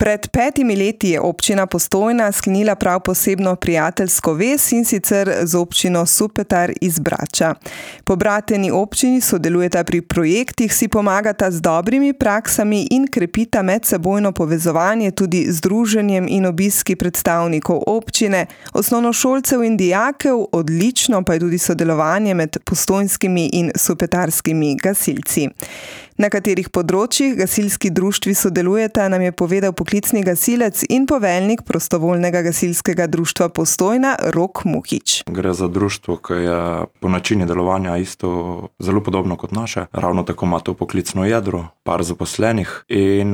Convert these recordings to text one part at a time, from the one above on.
Pred 5 leti je občina Postojna sklenila prav posebno prijateljsko vez, in sicer z občino Supetar iz Brača. Pobrateni občini sodelujeta pri projektih, si pomagata z dobrimi praksami in krepita medsebojno povezovanje tudi z druženjem in obiski predstavnikov občine, osnovnošolcev in dijakev, odlično pa je tudi sodelovanje med postojnskimi in supetarskimi gasilci. Na katerih področjih gasilski društvi sodelujeta, nam je povedal poklicni gasilec in poveljnik prostovoljnega gasilskega društva Postojna Rok Muhič. Gre za društvo, ki je po načinu delovanja isto zelo podobno kot naše. Ravno tako ima to poklicno jedro, par zaposlenih in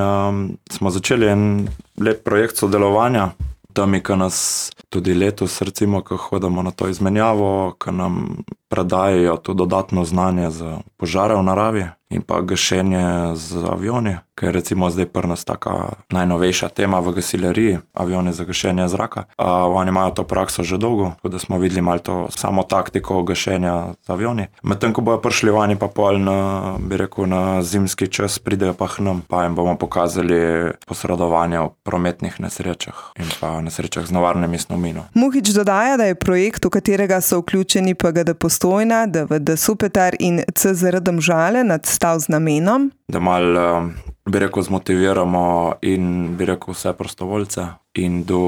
smo začeli en lep projekt sodelovanja. Tam, ki nas tudi letos, recimo, ko hodimo na to izmenjavo, ki nam predajajo to dodatno znanje za požare v naravi in pa gašenje z avioni, ker je recimo zdaj pri nas taka najnovejša tema v gasileriji, avioni za gašenje zraka. Oni imajo to prakso že dolgo, tako da smo videli malo to samo taktiko gašenja z avioni. Medtem, ko bojo prišli vani pa pol na zimski čas, pridejo pa k nam, pa jim bomo pokazali posredovanje v prometnih nesrečah in pa nesrečah z nevarnimi snovmi. Muhič dodaja, da je projekt, v katerega so vključeni PGD Postojna, DVD Supetar in CZR Domžale, nadstal z namenom, da malo, zmotiviramo in vse prostovoljce in do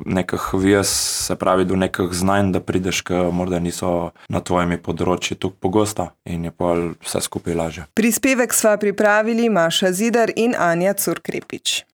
nekih vez, se pravi do nekih znanj, da prideš, ki morda niso na tvojimi področji tako pogosta in je pa vse skupaj lažje. Prispevek sva pripravili Maša Zidar in Anja Curkrepič.